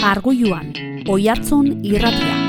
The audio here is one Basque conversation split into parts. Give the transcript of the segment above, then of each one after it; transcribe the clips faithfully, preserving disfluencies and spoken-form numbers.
Arguiluan, Oihartzun irratia.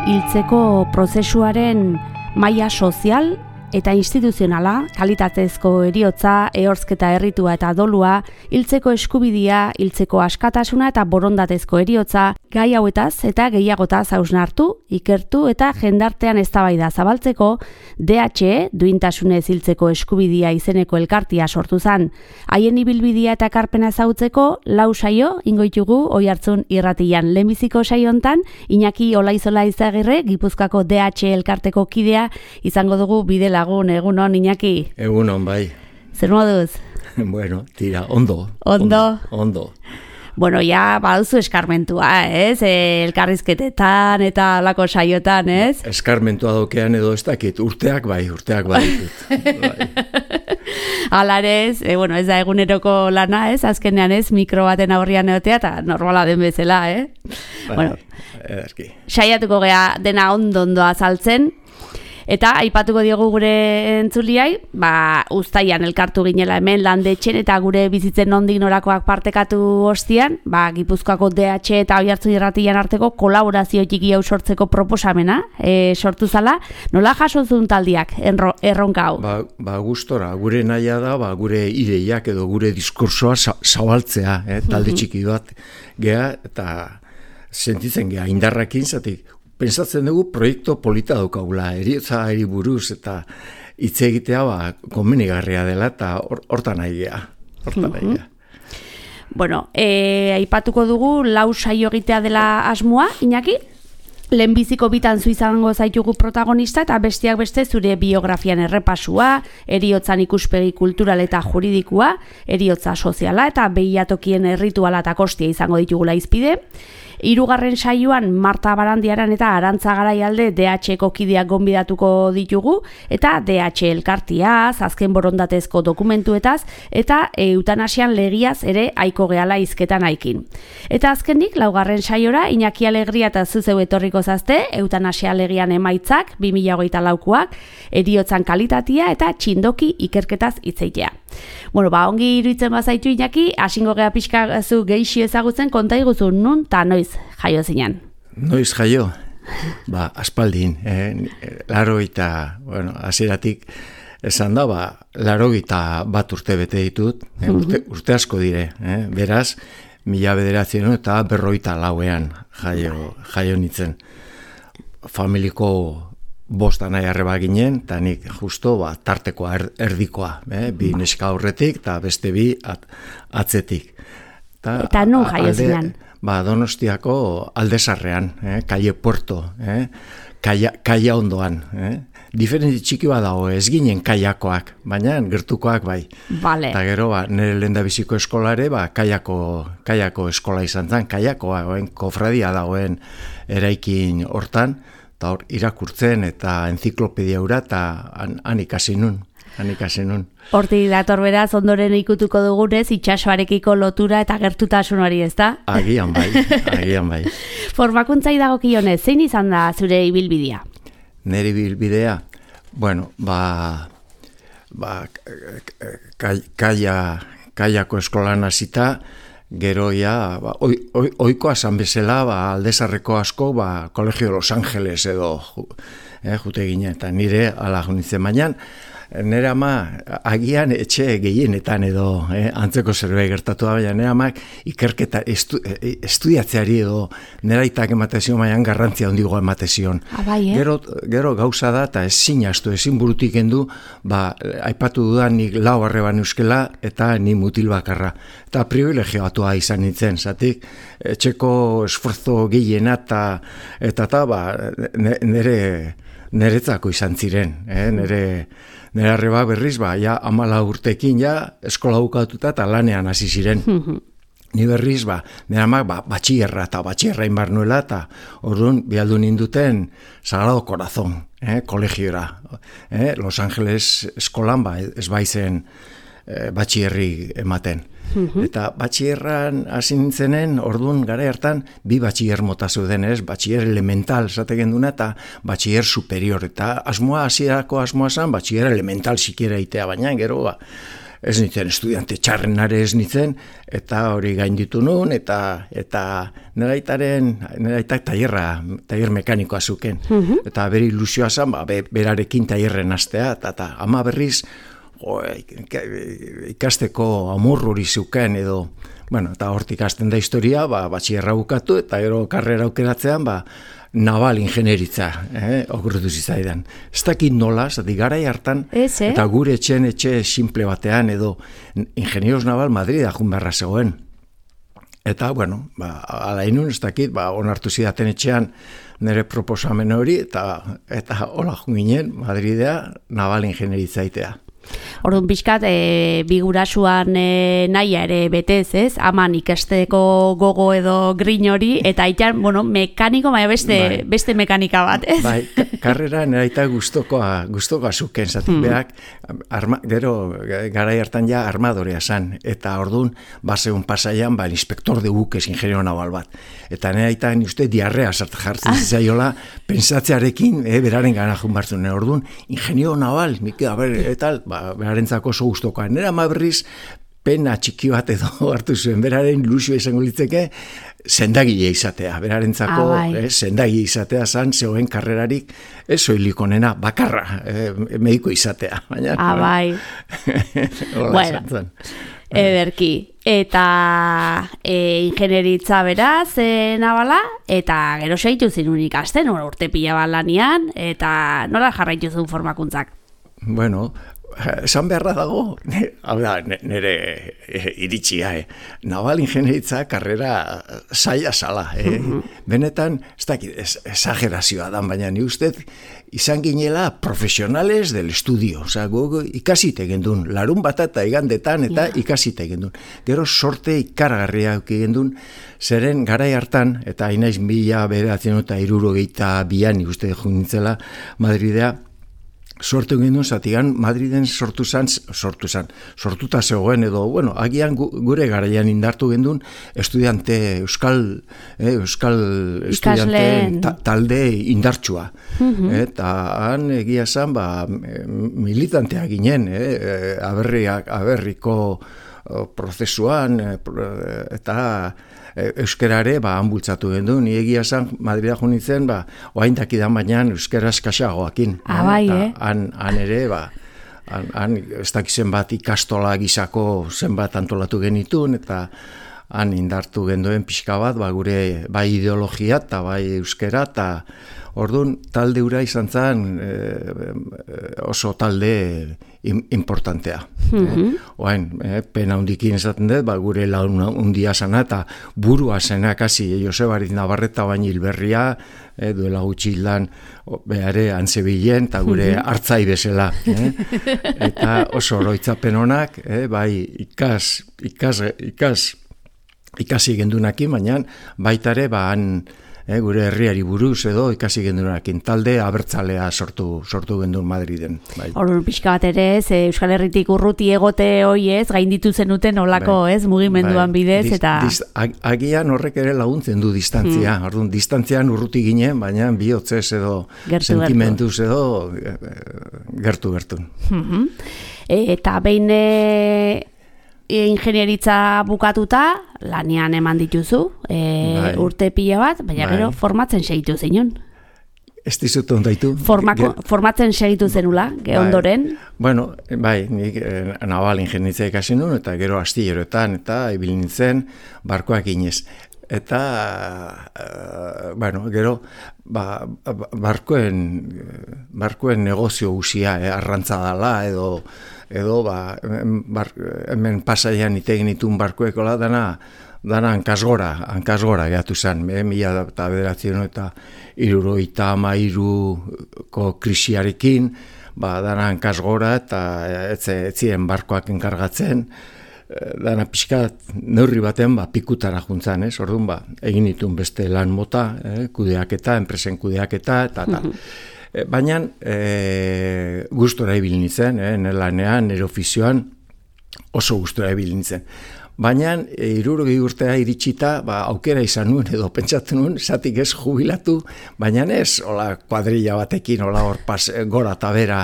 Hiltzeko prozesuaren maila sozial eta instituzionala, kalitatezko heriotza, ehortzketa erritua eta dolua, hiltzeko eskubidea, hiltzeko askatasuna eta borondatezko heriotza, gai hauetaz eta gehiagotaz hausnartu, ikertu eta jendartean eztabaida zabaltzeko D H E, duintasunez hiltzeko eskubidea izeneko elkartia sortu zen. Haien ibilbidea eta ekarpena ezagutzeko lau saio ingoitugu Oihartzun irratian. Lehenbiziko saio hontan Iñaki Olaizola Izagirre, Gipuzkoako D H E elkarteko kidea izango dugu bide lagun. Egunon, Iñaki? Egunon, bai. Zer moduz? Bueno, tira, ondo. Ondo? Ondo. Bueno, ja, baduzu eskarmentua, ez? E, elkarrizketetan eta lako saiotan, ez? Eskarmentua dokean edo ez dakit, urteak bai, urteak bai ditut. Bai. Alarez, e, bueno, ez da eguneroko lana, ez? Azkenean ez, mikro baten aurrian egotea eta normala den bezala, eh? Bai, bueno, ederki. Saiatuko gea dena ondo-ondo azaltzen. Eta aipatuko diogu gure entzuliai, ba, uztaian elkartu ginela hemen landetxen eta gure bizitzen nondik norakoak partekatu ostian, ba, Gipuzkoako D H E eta Oihartzun irratian arteko kolaborazio txiki hau sortzeko proposamena e, sortu zala. Nola jasozun taldiak enro, erronka hau? Ba, ba gustora, gure nahia da, ba, gure ideiak edo gure diskursoa zabaltzea, eh, talde txiki bat gea, eta sentitzen gea indarrakin zatik. Pentsatzen dugu proiektu polita daukagula, heriotza eri buruz eta hitz egitea ba, komenigarria dela eta hortan nahi gea. Hortan nahi gea. Bueno, e, aipatuko dugu lau saio egitea dela asmoa, Iñaki? Lehenbiziko bitan zu izango zaitugu protagonista eta besteak beste zure biografian errepasua, heriotzan ikuspegi kultural eta juridikua, heriotza soziala eta behiatokien errituala eta kostia izango ditugula izpide. Hirugarren saioan Marta Barandiaran eta Arantza Garaialde D H E-ko kideak gonbidatuko ditugu eta D H E elkartiaz, azken borondatezko dokumentuetaz eta eutanasian legiaz ere aiko gehala hizketan aikin. Eta azkenik laugarren saiora Iñaki Alegria eta zuzeu etorriko zazte, eutanasia legian emaitzak bi mila hogeita laukoak, heriotzan kalitatea eta txindoki ikerketaz hitzeitea. Bueno, ba, ongi iruditzen bazaitu Iñaki, hasingo gea pixka zu geixi ezagutzen konta iguzu nun ta noiz jaio zinan. Noiz jaio? Ba, aspaldin, eh? laro eta, bueno, hasieratik esan da, ba, laro eta bat urte bete ditut, eh? urte, urte asko dire, eh? beraz, mila bederatzen eta berroita lauean jaio, jaio nitzen. Familiko bosta nahi arreba ginen, eta nik justo ba, tartekoa er, erdikoa, eh? bi neska aurretik eta beste bi at, atzetik. Ta, eta nun jaio zinan? Ba, Donostiako Aldezarrean, eh? Kaie Puerto, eh? kaia, kaia ondoan. Eh? Diferenti txiki bat dago, ez ginen kaiakoak, baina gertukoak bai. Vale. Eta gero, ba, nire lehendabiziko eskolare, ba, kaiako, kaiako eskola izan zen, kaiakoa, oen, kofradia dagoen eraikin hortan, eta hor irakurtzen eta enziklopedia hura eta han, han ikasi nun. Han ikasi nun. Hortik dator beraz, ondoren ikutuko dugunez, itsasoarekiko lotura eta gertutasun hori, ez da? Agian bai, agian bai. Formakuntzai dagokionez, zein izan da zure ibilbidea? Nire ibilbidea? Bueno, ba, ba kaia, kaiako eskolan hasita, gero ja, ba, oi, oi, oikoa zan bezala, ba, Aldezarreko asko, ba, Kolegio Los Angeles edo eh, jute ginen, eta nire ala junitzen baina, nire ama agian etxe gehienetan edo eh, antzeko zerbait gertatu da, baina nire amak ikerketa estu, estudiatzeari edo nire aitak ematezion, baina garrantzia hondigoa ematezion. Abai, eh? Gero, gero gauza da, eta ezin astu, ezin burutik endu, ba, aipatu dudan nik lau arreban euskela eta ni mutil bakarra. Eta privilegioatua izan nintzen, zatik, etxeko esforzo gehiena eta eta eta ba, nire niretzako izan ziren, eh? nire Nera arreba berriz, ba, ja, amala urtekin ja, eskola bukatuta eta lanean hasi ziren. Ni berriz, ba, nire amak, ba, batxierra eta batxierra inbar nuela, eta orduan bialdu ninduten Sagrado Corazón, eh, kolegiora. Eh, Los Angeles eskolan, ba, ez baizen eh, batxierri ematen. Mm-hmm. Eta batxierran hasi nintzenen, orduan gara hartan, bi batxier mota zeuden, ez? Batxier elemental, zategen duna, eta batxier superior. Eta asmoa, hasierako asmoa zan, batxier elemental sikiera itea, baina gero, ba, ez nintzen estudiante txarrenare ez nintzen, eta hori gainditu nun, eta eta nire aitaren, nire aitak tailerra, tailer mekanikoa zuken. Mm-hmm. Eta bere ilusioa zan, ba, be, berarekin tailerren astea, eta, eta ama berriz, jo, ikasteko amor hori zuken, edo, bueno, eta hortik hasten da historia, ba, batxierra bukatu, eta gero karrera aukeratzean, ba, naval ingenieritza, eh, okurritu zizaidan. Ez dakit nola, zati garai hartan, Ez, eh? eta gure etxen etxe simple batean, edo ingenieros naval Madrid ajun beharra zegoen. Eta, bueno, ba, ala inun, ez dakit, ba, onartu zidaten etxean nire proposamen hori, eta eta hola junginen, Madridea naval ingenieritza itea. Orduan pixkat, e, bigurasuan e, nahia ere betez, ez? Aman ikasteko gogo edo grin hori, eta aitan, bueno, mekaniko, baina beste, bai. beste mekanika bat, ez? Bai, karrera neraita gustokoa, gustokoa zuken, zatik mm. beak, arma, gero, garai hartan ja armadorea zan, eta orduan, baseun pasaian, ba, inspektor de buques, ingeniero naval bat. Eta neraita, ni uste, diarrea sartu jartzen ah. zaiola, pensatzearekin, eh, beraren gana junbartzen, orduan, ingeniero naval, nik, a ber, etal, ba, berarentzako oso gustokoa. Nera ma berriz pena txiki bat edo hartu zuen, beraren ilusio izango litzeke sendagile izatea, berarentzako ah, bai. eh, sendagile izatea zan, zegoen karrerarik, ez soilikonena, bakarra, eh, mediko izatea. Baina, ah, bai. Bueno, ederki. Eta e, ingenieritza beraz, e, nabala, eta gero seitu zinun ikasten, urte pila bat lanian, eta nola jarraitu zuen formakuntzak? Bueno, esan beharra dago, hau da, nire iritsia, eh? Naval ingenieritza karrera zaila zala, eh? Mm-hmm. Benetan, ez dakit, esagerazioa da, baina ni ustez, izan ginela profesionales del estudio, oza, gu ikasite gendun, larun bat eta igandetan, eta yeah. ikasite gendun. Gero sorte ikaragarria gendun, zeren garai hartan, eta inaiz mila beratzen eta irurogeita bian, ikuste junintzela Madridea, sortu gendun, zatigan Madriden sortu zan, sortu zan, sortuta zegoen edo, bueno, agian gure garaian indartu gendun estudiante, euskal, eh, euskal estudiante ta, talde indartsua. Mm-hmm. Eta han egia zan, ba, militantea ginen, eh, aberriak, aberriko prozesuan, eta euskerare, ba, hanbultzatu gendu, ni egia zan, Madrida junitzen, ba, oain dakidan baina euskera eskaxagoakin. Ah, bai, eh? Han, han ere, ba, han, han ez dakizen bat ikastola gizako zenbat antolatu genitun, eta han indartu genduen pixka bat, ba, gure bai ideologia, eta bai euskera, eta orduan talde ura izan zen e, oso talde importantea. Mm-hmm. eh? Oain, eh, pena hundikin esaten dut, ba, gure laun hundia zana, eta burua zena kasi Josebarit Navarreta baina hilberria, eh, duela gutxi hildan behare antzebilen, eta gure mm-hmm. hartzai bezala. Eh? Eta oso oroitzapen honak, eh, bai ikas, ikas, ikas, ikasi gendunakin, baina baitare, ba, han, Eh, gure herriari buruz edo ikasi gendunakin talde abertzalea sortu sortu gendun Madriden. Bai. Orduan pixka bat ere, ez, Euskal Herritik urruti egote hoi ez, gainditu zenuten olako, bai. Ez, mugimenduan bai. bidez, eta... Diz, diz, agian horrek ere laguntzen du distantzia. Hmm. Orduan, distantzian urruti ginen, baina bihotzez edo gertu, sentimentuz gertu. edo gertu-gertu. Hmm. Eta behin... ingenieritza bukatuta, lanian eman dituzu, e, bai. urte pila bat, baina bai. Gero formatzen segitu zinun. Ez dizut ondaitu. Formako, formatzen segitu zenula, ge bai. Ondoren. Bueno, bai, nik eh, naval ingenieritza ikasi nuen, eta gero astilleroetan, eta ibil nintzen barkoak inez. Eta, uh, bueno, gero, ba, barkoen, barkoen negozio usia, eh, arrantza dala, edo, edo, ba, bar, hemen pasaian itegin itun barkoekola, dana, dana hankasgora, hankasgora gehatu zen, eh, mila eta bederatzen eta irurogeita hamairuko krisiarekin, ba, dana hankasgora, eta etzien barkoak enkargatzen, dana pixka neurri baten ba, pikutara juntzan, ez? Orduan ba, egin ditun beste lan mota, eh? kudeaketa, enpresen kudeaketa, eta tal. E, baina e, gustora ibil nintzen, eh? nire lanean, nire ofizioan oso gustora ibil nintzen. Baina hirurogei urtea iritsita, ba, aukera izan nuen edo pentsatu nuen, zatik ez jubilatu, baina ez, hola, kuadrilla batekin, hola hor pas, gora eta bera,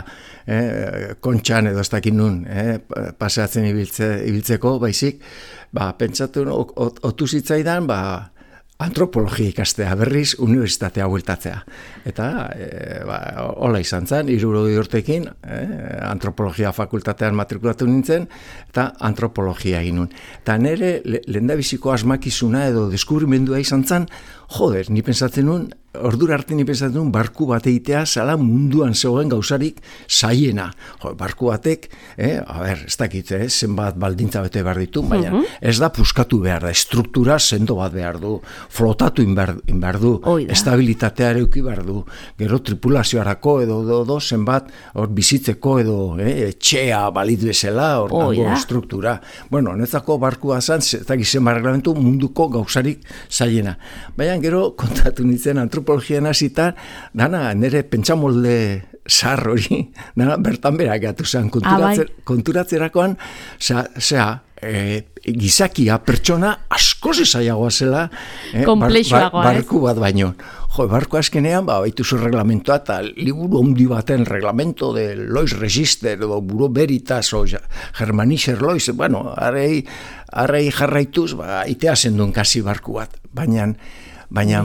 eh, kontxan edo ez dakit nun, eh, paseatzen ibiltze, ibiltzeko, baizik, ba, pentsatu nuen, otu zitzaidan, ba, antropologia ikastea, berriz unibertsitatea bueltatzea. Eta, e, ba, hola izan zen, hirurogei urtekin, e, antropologia fakultatean matrikulatu nintzen, eta antropologia egin nuen. Eta nire le, lehendabiziko asmakizuna edo deskubrimendua izan zen, joder, ni pensatzen nuen, ordura arte ni pensatzen nuen, barku bat egitea zala munduan zegoen gauzarik zaiena. Jo, barku batek, eh, a ber, ez dakit, eh, zenbat baldintza bete behar ditu, baina uh -huh. ez da puskatu behar da, estruktura sendo bat behar du, flotatu inbar, inbar du, estabilitatea ere uki behar du, gero tripulazioarako edo, edo, edo zenbat hor bizitzeko edo eh, etxea balit bezala, hor dago estruktura. Bueno, netzako barkua zan, ez dakit zenbat reglamentu munduko gauzarik zaiena. Baina gero kontatu nintzen antropologian hasita, dana nire pentsamolde zahar hori, dana bertan berak gatu zen, konturatzer, konturatzerakoan, zea, e, gizakia, pertsona, askoz ezaiagoa zela, eh, bar, bar, barku bat baino. Jo, barku azkenean, ba, baituzu reglamentoa, eta liburu ondi baten reglamento de Lois Register, edo Buro Veritas, o Germanischer Lois, bueno, arrei, arrei jarraituz, ba, itea zenduen kasi barku bat, baina, baina,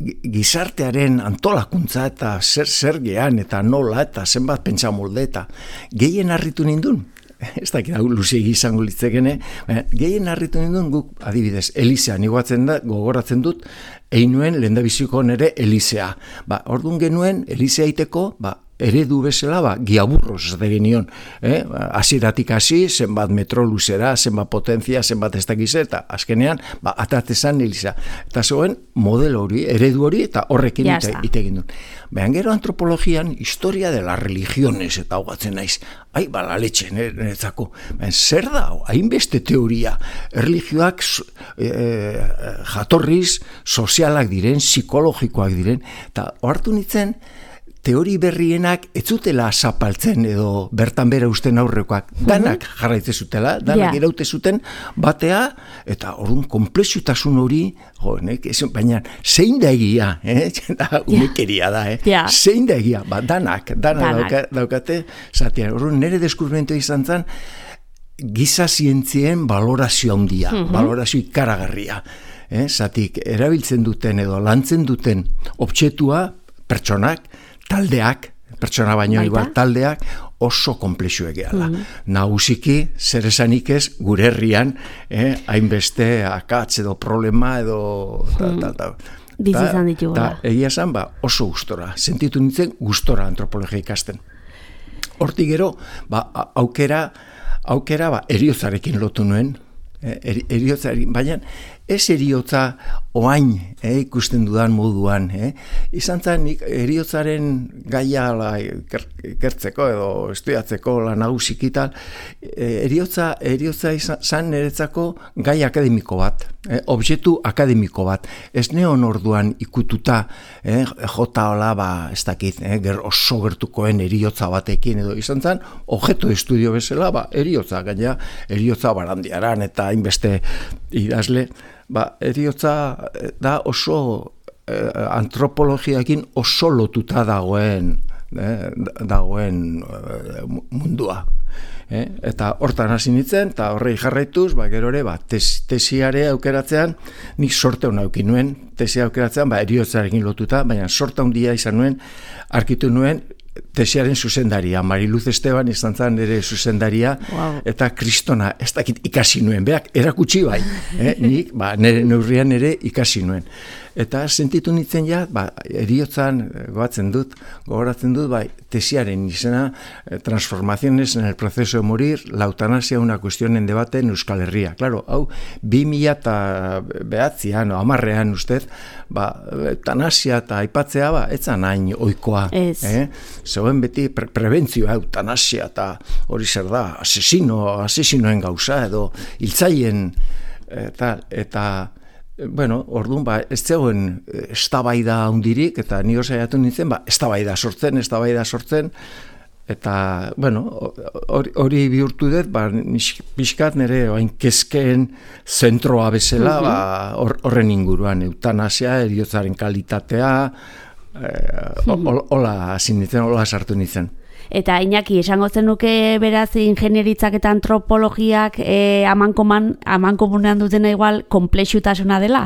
gizartearen antolakuntza eta zer zer gean eta nola eta zenbat pentsamolde eta gehien harritu nindun. Ez dakit hau luze izango litzekene, baina gehien harritu nindun guk adibidez Elizean igoatzen da, gogoratzen dut, egin nuen lehendabiziko nere Elizea. Ba, orduan genuen Elizea iteko, ba, eredu bezala, ba, giaburroz ez genion, eh? Hasieratik hasi, zenbat metro luzera, zenbat potentzia, zenbat ez dakize, eta azkenean, ba, atatezan Eliza. Eta zegoen modelo hori, eredu hori, eta horrekin ite, ite egin duen. Baina gero antropologian, historia de las religiones, eta hogatzen naiz, ai, bala letxe, neretzako, baina zer da, hainbeste teoria, erlijioak e, jatorriz, sozialak diren, psikologikoak diren, eta hartu nintzen, teori berrienak ez zutela zapaltzen edo bertan bera usten aurrekoak. Danak jarraitze zutela, danak yeah. iraute zuten batea, eta orduan komplexutasun hori, jo, nek, baina zein da egia, eh? Umekeria da, eh? Yeah. Zein da egia, ba, danak, danak, danak. Dauka, daukate, zatean, orduan nire deskubrimentu izan zen, giza zientzien balorazio handia, uh-huh. balorazio ikaragarria. Eh? Zatik, erabiltzen duten edo lantzen duten objektua, pertsonak, taldeak, pertsona baino igual taldeak, oso komplexuek gehala. Mm. Nagusiki, zer esanik ez, gure herrian, eh, hainbeste akatz edo problema edo... Ta, ta, ta, bizizan ditugu. Ta, egia esan, ba, oso gustora. Sentitu nintzen gustora antropologia ikasten. Hortik gero, ba, aukera, aukera, ba, eriotzarekin lotu nuen, eh, eriotzarekin, baina ez eriotza oain eh, ikusten dudan moduan. Eh. Izan zen eriotzaren gaia la, ikertzeko edo estudiatzeko la nagusik eta eh, eriotza, eriotza izan zen niretzako gai akademiko bat, eh, objektu akademiko bat. Ez neon orduan ikututa eh, jota hola, ba, ez dakit, eh, ger, oso gertukoen eriotza batekin edo izan zen, objeto estudio bezala, ba, eriotza, gaina eriotza barandiaran eta hainbeste idazle, ba, eriotza da oso eh, antropologiakin oso lotuta dagoen eh, dagoen eh, mundua. Eh? Eta hortan hasi nintzen, eta horrei jarraituz, ba, gero ere, ba, tes, tesiare aukeratzean, nik sorte hona aukin nuen, tesia aukeratzean, ba, eriotzarekin lotuta, baina sorte handia izan nuen, arkitu nuen, tesiaren zuzendaria, Mariluz Esteban izan zen ere zuzendaria, wow. Eta kristona, ez dakit ikasi nuen, berak erakutsi bai, eh? Nik, ba, nire neurrian ere ikasi nuen. Eta sentitu nintzen ja, ba, eriotzan, goatzen dut, gogoratzen dut, ba, tesiaren izena, transformaciones en el proceso de morir, la eutanasia una cuestión en debate en Euskal Herria. Claro, hau, bi mila eta behatzian, o amarrean ustez, ba, eutanasia eta aipatzea, ba, etzan hain oikoa. Ez. Eh? Zegoen beti pre prebentzioa, eutanasia eta hori zer da, asesino, asesinoen gauza, edo hiltzaien, eta, eta bueno, orduan, ba, ez zegoen eztabaida handirik, eta ni saiatu nintzen, ba, eztabaida sortzen, eztabaida sortzen, eta, bueno, hori, hori bihurtu dut, ba, pixkat nire oain kezkeen zentroa bezala, ba, horren inguruan, eutanasia, heriotzaren kalitatea, eh, hola hasi nintzen, hola sartu nintzen. Eta Iñaki, esango zenuke beraz ingenieritzak eta antropologiak e, amankoman, amankomunean dutena igual konplexutasuna dela?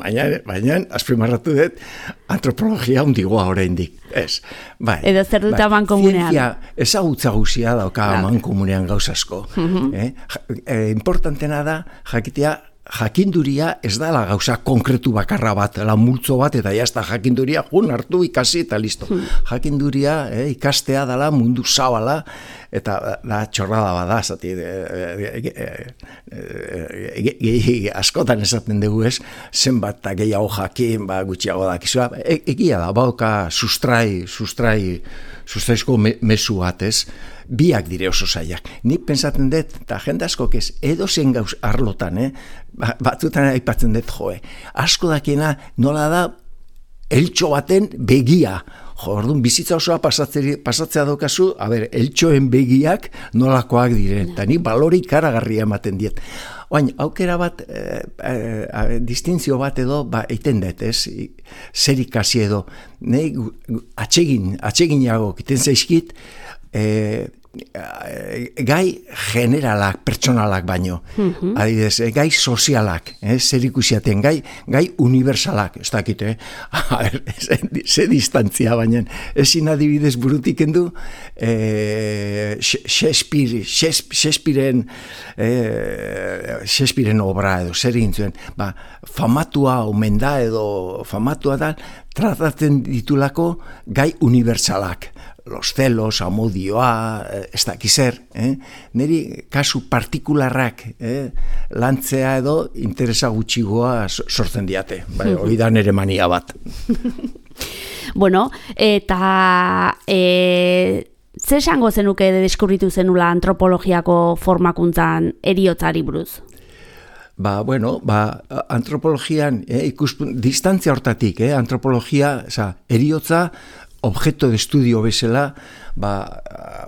baina, baina, azpimarratu dut, antropologia hundigoa oraindik. Ez, bai. Edo zer dut bai, amankomunean? Zientzia ezagutza guzia dauka Claro. amankomunean gauzasko. Mhm. eh? Ja- eh, importantena da, jakitea, jakinduria ez dala gauza konkretu bakarra bat, la multzo bat, eta jazta jakinduria jun hartu ikasi eta listo. Jakinduria eh, ikastea dala mundu zabala, eta da txorrada bada, zati, e, e, e, e, e, askotan esaten dugu ez, zenbat eta gehiago jakin, ba, gutxiago dakizua, e, egia da, bauka sustrai, sustrai, sustraizko me, mesu bat ez, biak dire oso zaiak. Nik pensatzen dut, eta jende askok ez, edo zen gauz arlotan, eh? Ba, batzutan aipatzen dut, joe, asko dakiena nola da eltxo baten begia. Jo, orduan, bizitza osoa pasatzea, pasatzea daukazu, a ber, eltxoen begiak nolakoak diren, eta ni balore ikaragarria ematen diet. Oain, aukera bat, e, e, distintzio bat edo, ba, eiten dut, ez, zer ikasi edo, nahi atsegin, atseginago kiten zaizkit, e, gai generalak, pertsonalak baino, mm-hmm. adibidez, gai sozialak, eh, zer ikusiaten, gai, gai universalak, ez dakit, eh? A ber, ze, ze distantzia baina, ezin adibidez burutik endu, eh, Shakespeare, Shakespearen, eh, Shakespearen obra edo, zer egin zuen, ba, famatua omen da edo famatua da, tratatzen ditulako gai universalak, los celos, amodioa, ez dakizer, eh? Neri kasu partikularrak eh? lantzea edo interesa gutxigoa sortzen diate, bai, hori da nere mania bat. Bueno, eta e, ze esango zenuke deskubritu zenula antropologiako formakuntzan heriotzari buruz? Ba, bueno, ba, antropologian, eh, ikuspun, distantzia hortatik, eh, antropologia, oza, heriotza, objeto de estudio bezala, ba,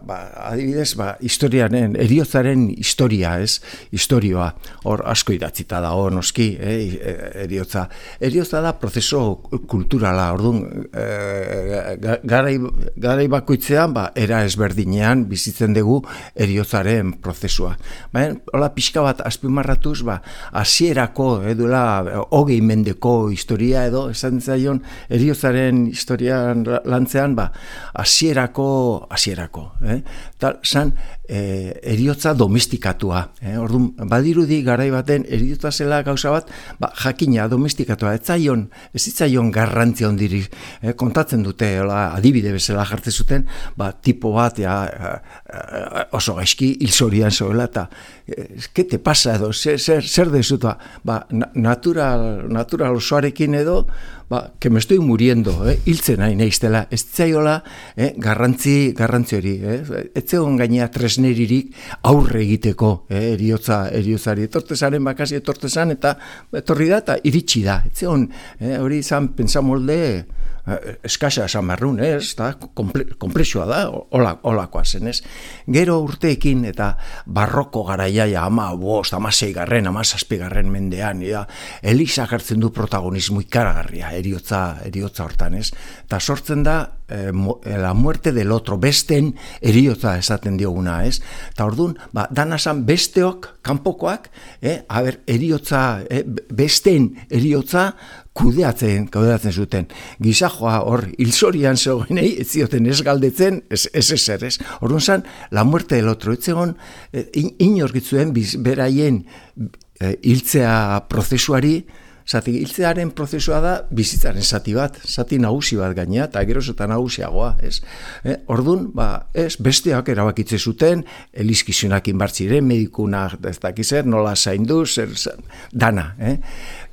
ba, adibidez, ba, historiaren, heriotzaren historia, ez, historioa, hor asko idatzita da, hor noski, eh, heriotza. Heriotza da prozeso kulturala, orduan, eh, garai, garai bakoitzean, ba, era ezberdinean bizitzen dugu heriotzaren prozesua. Baina, hola pixka bat azpimarratuz, ba, hasierako, eduela, hogei mendeko historia edo, esan zaion, heriotzaren historian lantzean, ba, hasierako hasierako, eh? Tal, san, eh, heriotza domestikatua, eh? Orduan, badirudi garai baten heriotza zela gauza bat, ba, jakina domestikatua, ez zaion, ez zaion garrantzia ondiri, eh? Kontatzen dute, hola, adibide bezala jartzen zuten, ba, tipo bat, ja, oso gaizki, hilzorian zoela, eta, ¿qué te pasa edo, zer, zer, zer dezutua, ba, natural, natural osoarekin edo, ba, que me estoy muriendo, eh? Hiltzen nahi naiztela, ez zaiola, eh? garrantzi, garrantzi hori, eh? Ez zegoen gainea tresneririk aurre egiteko, eh? eriotza, eriotzari, etortezaren bakasi etortezan, eta etorri da, eta iritsi da, ez zegoen, eh? hori izan pensamolde, eskasa esan marrun, ez, da, komplexua da, hola, holakoa zen, ez. Gero urteekin eta barroko garaiaia ama bost, ama seigarren, ama zazpigarren mendean, ja, Eliza hartzen du protagonismo ikaragarria, eriotza, eriotza hortan, ez. Eta sortzen da, eh, la muerte del otro, besten eriotza esaten dioguna, ez. Eta orduan, ba, danazan besteok, kanpokoak, eh, a ber, eriotza, eh, besten eriotza, kudeatzen, kudeatzen zuten. Gizajoa hor, hilzorian zegoenei, ez zioten ez galdetzen, ez ez ezer, ez. Orduan zan, la muerte del otro, ez zegoen, inorkitzuen beraien hiltzea prozesuari, zati hiltzearen prozesua da bizitzaren zati bat, zati nagusi bat gainea, eta geroz eta nagusiagoa, ez? Eh, Ordun, ba, ez, besteak erabakitze zuten, elizkizunak inbartziren, medikunak, ez dakizer, nola zaindu, zer, dana, eh?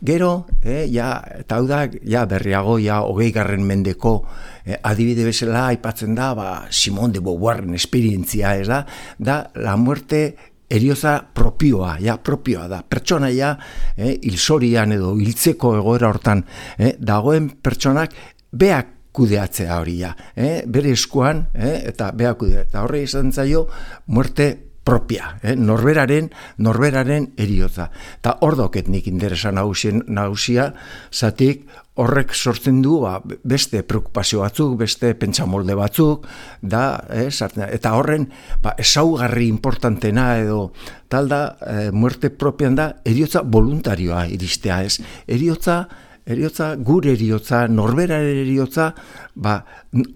Gero, eh, ja, eta hau da, ja, berriago, ja, hogei garren mendeko eh, adibide bezala aipatzen da, ba, Simone de Beauvoirren esperientzia, ez da, da, la muerte erioza propioa, ja, propioa da, pertsonaia, eh, hilzorian edo hiltzeko egoera hortan, eh, dagoen pertsonak beak kudeatzea hori, ja, eh, bere eskuan, eh, eta beak kudeatzea, eta horre izan zaio, muerte propia, eh? norberaren, norberaren eriotza. Eta hor doket nik interesa nagusia, zatik horrek sortzen du ba, beste preokupazio batzuk, beste pentsamolde batzuk, da, eh, eta horren ba, ezaugarri importantena edo tal da, eh, muerte propian da, eriotza voluntarioa iristea, ez? Eriotza, eriotza, gure eriotza, norberaren eriotza, ba,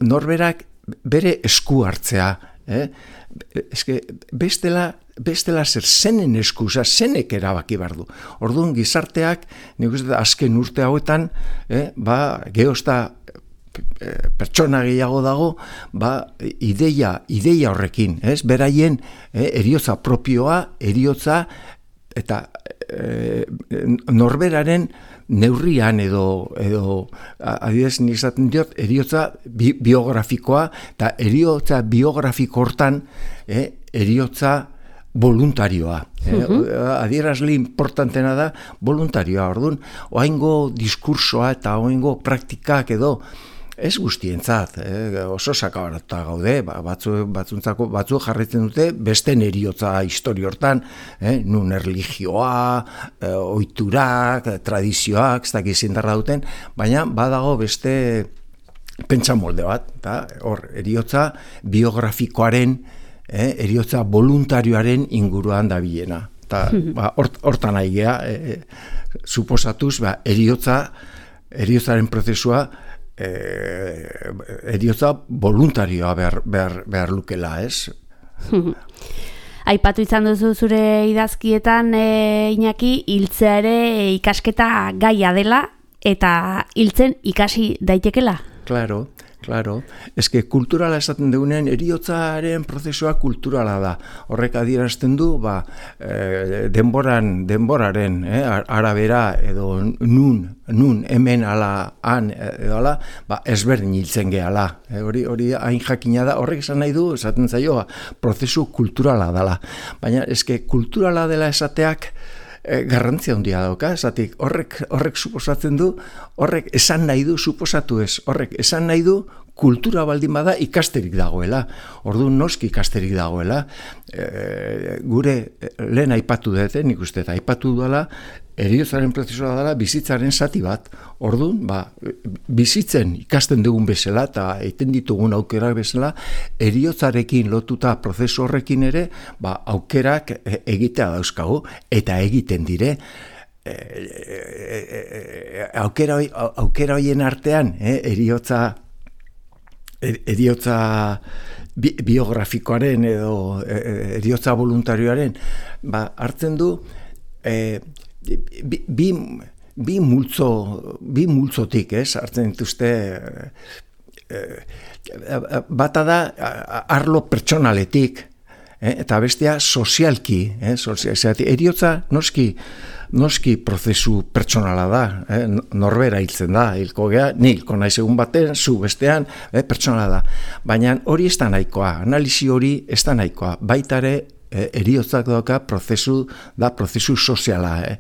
norberak bere esku hartzea, eh? Eske, bestela, bestela zer zenen eskusa, zenek erabaki behar du. Orduan, gizarteak, nik uste azken urte hauetan, eh, ba, geozta eh, pertsona gehiago dago, ba, ideia, ideia horrekin, ez? Beraien eh, eriotza propioa, eriotza, eta eh, norberaren neurrian edo, edo adibidez nik esaten diot, eriotza bi, biografikoa, eta eriotza biografiko hortan, eh, eriotza voluntarioa. Eh? Uh-huh. Adierazle importantena da voluntarioa. Orduan, oaingo diskursoa eta oaingo praktikak edo, ez guztientzat, eh, oso sakabarata gaude, ba, batzu, batzuntzako, batzu jarritzen dute besten eriotza historio hortan, eh, nun erlijioa, eh, oiturak, tradizioak, ez dakiz indarra duten, baina badago beste pentsamolde bat, eta hor, eriotza biografikoaren, eh, eriotza voluntarioaren inguruan dabilena. Eta ba, hort, hortan nahi gea, eh, suposatuz, ba, eriotza, eriotzaren prozesua, Eh, eriotza voluntarioa behar, behar, behar lukela, ez? Aipatu izan duzu zure idazkietan, e, Iñaki, hiltzea ere ikasketa gaia dela, eta hiltzen ikasi daitekela? Claro, claro. Eske kulturala esaten dugunean, eriotzaren prozesua kulturala da. Horrek adierazten du, ba, e, denboran, denboraren, eh, arabera edo nun, nun hemen ala, han edo ala, ba, ezberdin hiltzen gehala. E, hori, hori hain jakina da, horrek esan nahi du, esaten zaio, ba, prozesu kulturala dela. Baina eske kulturala dela esateak, E, garrantzia handia dauka, esatik, horrek, horrek suposatzen du, horrek esan nahi du, suposatu ez, horrek esan nahi du, kultura baldin bada ikasterik dagoela. Orduan noski ikasterik dagoela. E, gure lehen aipatu dut, nik uste, eta aipatu duela, eriotzaren prozesua dela bizitzaren zati bat. Orduan, ba, bizitzen ikasten dugun bezala eta egiten ditugun aukerak bezala, eriotzarekin lotuta prozesu horrekin ere, ba, aukerak egitea dauzkagu eta egiten dire. E, e, e, aukera, aukera hoien artean, eh, eriotza eriotza bi, biografikoaren edo eriotza voluntarioaren, ba, hartzen du e, bi, bi, bi multzo bi multzotik, ez, hartzen dituzte e, bata da arlo pertsonaletik, eh, eta bestea sozialki, eh, sozial, eriotza noski noski prozesu pertsonala da, eh? Norbera hiltzen da, hilko gea, ni hilko naiz egun baten, zu bestean, eh? Pertsonala da. Baina hori ez da nahikoa, analisi hori ez da nahikoa, baita ere eh, eriotzak doka prozesu da, prozesu soziala. Eh?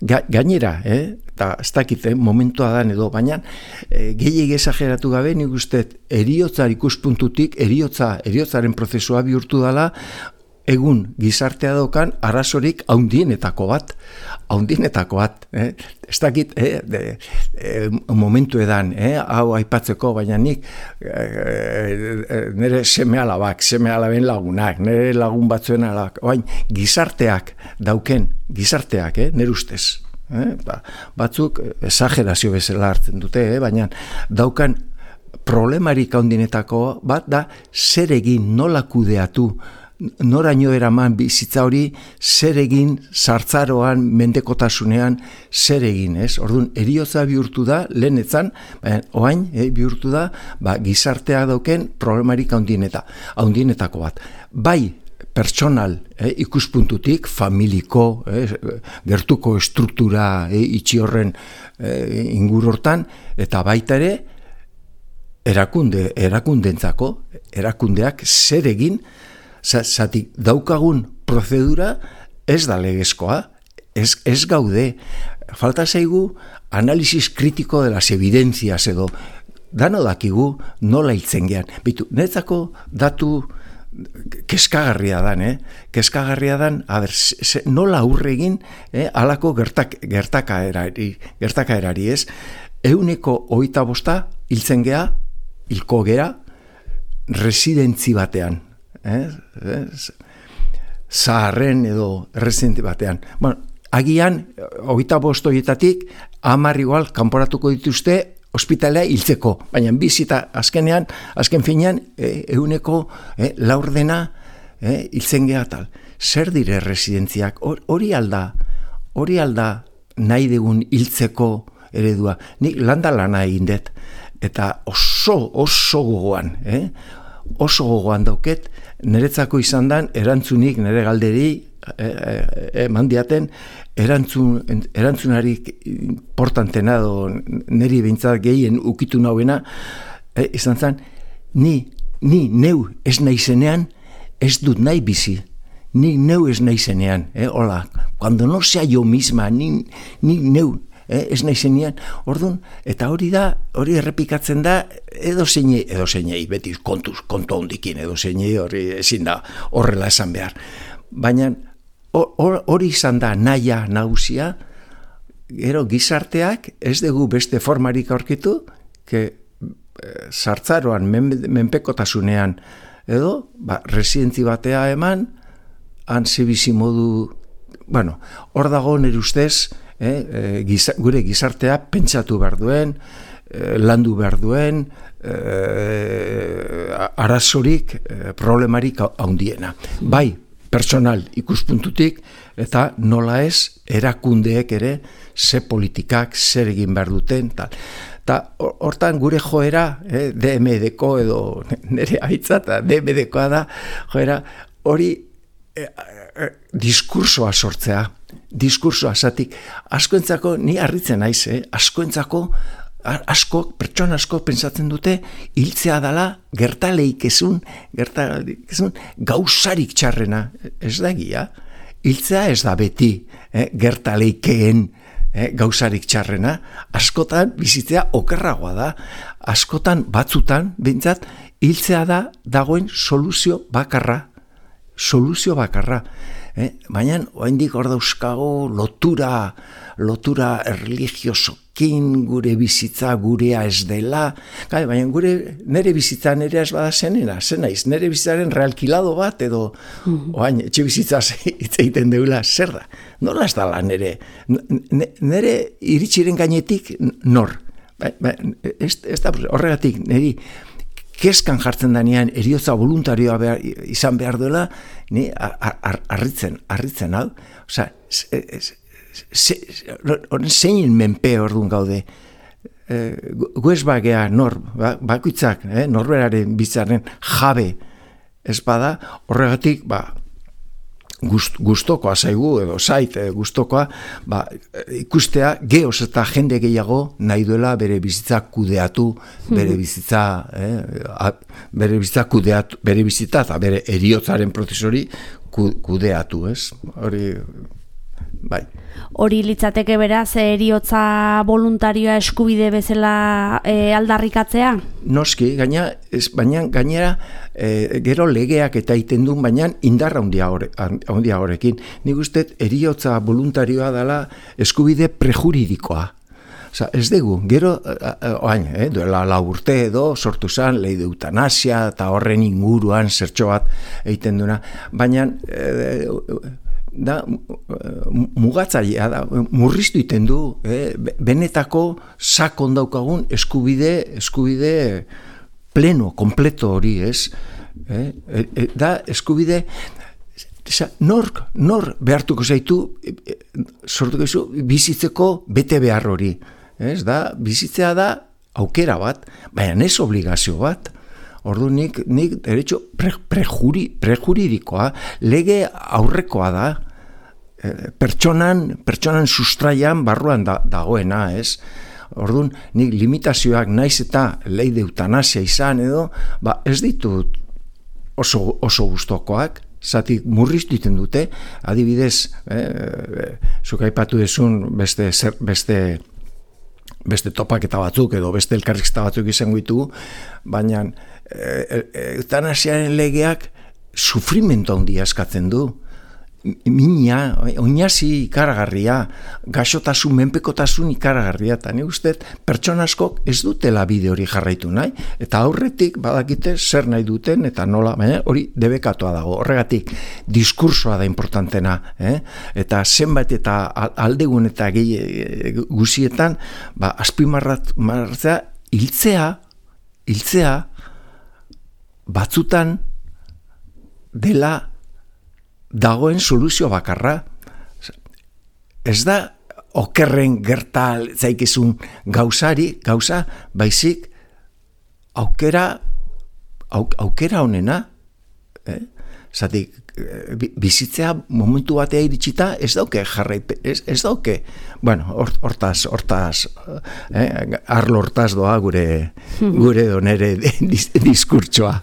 Ga, gainera, eh? eta ez dakit, eh? momentua da edo, baina eh, gehiegi esageratu gabe, nik uste eriotzar ikuspuntutik, eriotza, eriotzaren prozesua bihurtu dela, egun gizartea daukan arazorik haundienetako bat, haundienetako bat, eh? ez dakit, eh? de, eh, momentu edan, eh? hau aipatzeko, baina nik eh, nire seme alabak, seme alaben lagunak, nire lagun batzuen alabak, baina gizarteak dauken, gizarteak, eh? nire ustez, eh? ba, batzuk esagerazio bezala hartzen dute, eh? baina daukan problemarik haundienetako bat da zer egin, nola kudeatu noraino eraman bizitza hori, zer egin sartzaroan, mendekotasunean, zer egin, ez? Orduan, eriotza bihurtu da, lehenetzan, baina, oain, eh, bihurtu da, ba, gizartea dauken problemarik haundieneta, haundienetako bat. Bai, pertsonal, eh, ikuspuntutik, familiko, eh, gertuko estruktura eh, itxi horren eh, ingurortan, eta baita ere, erakunde, erakundentzako, erakundeak zer egin, zatik daukagun prozedura ez da legezkoa, ez, ez gaude, falta zaigu analisis kritiko de las evidencias edo, dano dakigu nola hiltzen gean. Bitu, netzako datu keskagarria dan, eh? Keskagarria dan, a ber, se, nola aurre egin eh, alako gertak, gertakaerari, gertakaerari, ez? Euneko hogeita bosta hiltzen gea, hilko gera, residentzi batean. Eh? Zaharren edo residentzi batean. Bueno, agian, hogeita bost horietatik, hamar igual, kanporatuko dituzte, ospitalea hiltzeko, baina bizita azkenean, azken finean, eh, euneko eh, laurdena eh, hiltzen geha tal. Zer dire residentziak? Hori alda, hori alda nahi dugun hiltzeko eredua. Nik landa lana egin dut, eta oso, oso gogoan, eh? oso gogoan dauket, niretzako izan dan, erantzunik nire galderi eman e, e, diaten, erantzun, erantzunarik importantena edo niri behintzat gehien ukitu nauena, e, izan zen, ni, ni neu ez naizenean, ez dut nahi bizi. Ni neu ez naizenean, eh, hola, cuando no sea yo misma, ni, ni neu, Eh, ez nahi zenean, orduan, eta hori da, hori errepikatzen da, edo zeinei, edo zeinei, beti kontuz, kontu hondikin, edo zeinei hori ezin da horrela esan behar. Baina hori izan da naia nagusia, gero gizarteak ez dugu beste formarik aurkitu, que sartzaroan, men, menpekotasunean, edo, ba, residentzi batea eman, han zibizi modu, bueno, hor dago nire ustez, Eh, eh, giza, gure gizartea pentsatu behar duen, eh, landu behar duen, eh, arazorik, eh, problemarik handiena. Bai, personal ikuspuntutik, eta nola ez, erakundeek ere, ze politikak, zer egin behar duten, tal. Eta hortan gure joera, eh, D M D-ko edo nire haitza, eta D M D-koa da, joera, hori eh, eh, diskursoa sortzea, diskursoa, zatik, askoentzako, ni harritzen naiz, eh? askoentzako, asko, pertsona asko pentsatzen dute, hiltzea dala, gertaleik ezun, gertaleik ezun, gauzarik txarrena, ez da egia, hiltzea ez da beti, eh? gertaleikeen eh? gauzarik txarrena, askotan bizitzea okerragoa da, askotan batzutan, bintzat, hiltzea da dagoen soluzio bakarra, soluzio bakarra, Eh, baina, oraindik hor dauzkago lotura, lotura religiosokin gure bizitza gurea ez dela. Gai, baina gure nere bizitza nere ez bada zenena, zen naiz, nere bizitzaren realkilado bat edo mm-hmm. orain etxe bizitza hitz egiten deula, zer da? Nola ez dala nere? Nere iritsiren gainetik nor? Ba, ba, ez, ez da horregatik neri keskan jartzen danean eriotza voluntarioa behar, izan behar duela, ni harritzen, harritzen hau. Osa, zein menpe orduan gaude. E, Guez bagea nor, ba, bakuitzak, eh, norberaren bitzaren jabe ez bada, horregatik, ba, Gust, gustokoa zaigu, edo zait eh, gustokoa, ba, ikustea geoz eta jende gehiago nahi duela bere bizitza kudeatu, bere bizitza, eh, a, bere bizitza kudeatu, bere bizitza eta bere eriotzaren prozesori kudeatu, ez? Hori, bai. Hori litzateke beraz, eriotza voluntarioa eskubide bezala e, aldarrikatzea? Noski, gaina, ez, baina gainera e, gero legeak eta egiten duen, baina indarra handia horrekin. Nik uste eriotza voluntarioa dela eskubide prejuridikoa. Osa, ez dugu, gero, oain, eh, duela lau urte edo, sortu zen, lei de eutanasia eta horren inguruan zertxo bat egiten duena, baina e, da mugatzailea da, murriztu iten du, eh, benetako sakon daukagun eskubide, eskubide pleno, kompleto hori, ez? Eh? E, e, da eskubide, nork, nor behartuko zaitu, e, e, sortuko zu, bizitzeko bete behar hori. Ez da, bizitzea da aukera bat, baina ez obligazio bat. Ordu nik, nik derecho pre, prejuri, prejuridikoa, lege aurrekoa da, e, pertsonan, pertsonan sustraian barruan da, dagoena, ez? Orduan, nik limitazioak naiz eta leide eutanasia izan edo, ba ez ditut oso, oso gustokoak, zatik murriztu iten dute, adibidez, eh, zuk aipatu dezun beste, beste, beste topaketa batzuk edo beste elkarrizketa batzuk izango ditugu, baina e, eutanasiaren legeak sufrimentu handia eskatzen du. Mina, oinazi ikaragarria, gaixotasun, menpekotasun ikaragarria, eta ni uste pertsona askok ez dutela bide hori jarraitu nahi, eta aurretik badakite zer nahi duten, eta nola, baina hori debekatua dago. Horregatik, diskursoa da importantena, eh? Eta zenbait eta aldegun eta gehi guzietan, ba, azpimarratzea, hiltzea, hiltzea, batzutan dela dagoen soluzio bakarra. Ez da okerren gerta zaikizun gauzari, gauza, baizik aukera auk, aukera honena, eh? Zatik, bizitzea momentu batea iritsita ez dauke jarraipe, ez, ez dauke, bueno, hortaz, hortaz, eh, arlo hortaz doa gure, gure donere diskurtsoa.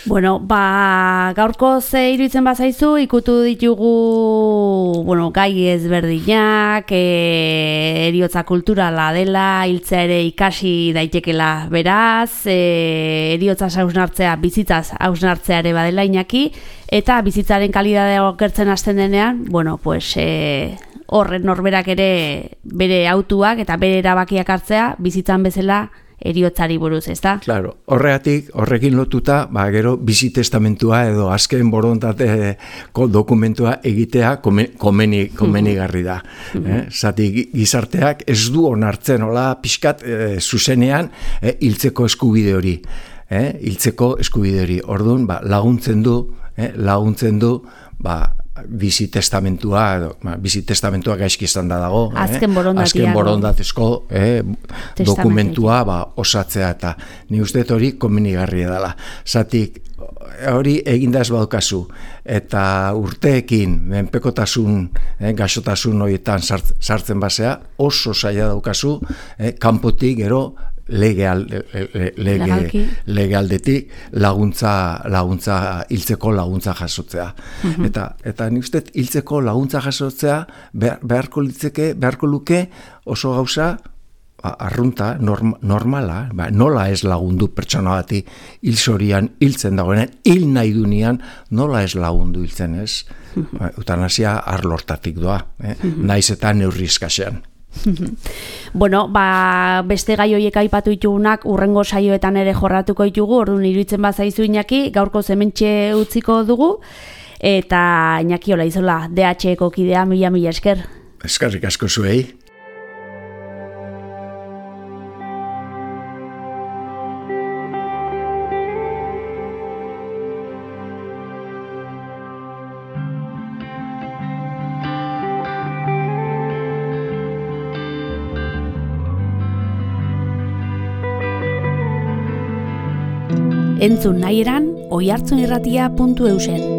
Bueno, ba, gaurko ze iruditzen bazaizu, ikutu ditugu, bueno, gai ezberdinak, e, eriotza kulturala dela, hiltzea ere ikasi daitekela beraz, e, eriotza hausnartzea, bizitzaz hausnartzea ere badela Iñaki, eta bizitzaren kalidadea okertzen hasten denean, bueno, pues, e, horren norberak ere bere autuak eta bere erabakiak hartzea, bizitzan bezala eriotzari buruz, ezta? Claro, horregatik, horrekin lotuta, ba, gero bizi testamentua edo azken borondateko dokumentua egitea komeni, komenigarri da. Eh? Zati gizarteak ez du onartzen, hola, pixkat eh, zuzenean, eh, hiltzeko eskubide hori. Eh? Hiltzeko eskubide hori. Orduan, ba, laguntzen du, eh, laguntzen du, ba, bizi testamentua, ba, bizi testamentua gaizki izan da dago, azken eh? azken borondatezko eh, dokumentua ba, osatzea, eta ni uste hori komenigarria dela. Zatik, hori eginda ez badukazu, eta urteekin menpekotasun, eh, gaixotasun horietan sartzen basea, oso zaila daukazu, eh, kanpotik gero lege, lege, lege aldetik laguntza, laguntza, hiltzeko laguntza jasotzea. Mm-hmm. Eta, eta ni uste hiltzeko laguntza jasotzea behar, beharko litzeke, beharko luke oso gauza arrunta, norm, normala, ba, nola ez lagundu pertsona bati hilzorian hiltzen dagoenean, hil nahi dunean nola ez lagundu hiltzen, ez? Mm-hmm. Ba, eutanasia arlortatik doa, eh? Mm-hmm. Naiz eta neurri eskasean. Bueno, ba, beste gai horiek aipatu ditugunak urrengo saioetan ere jorratuko ditugu, orduan iruditzen bazaizu Iñaki, gaurko hementxe utziko dugu, eta Iñaki hola izola, D H eko kidea, mila mila esker. Eskerrik asko zuei. Entzun nahi eran, oihartzunirratia puntu eusen.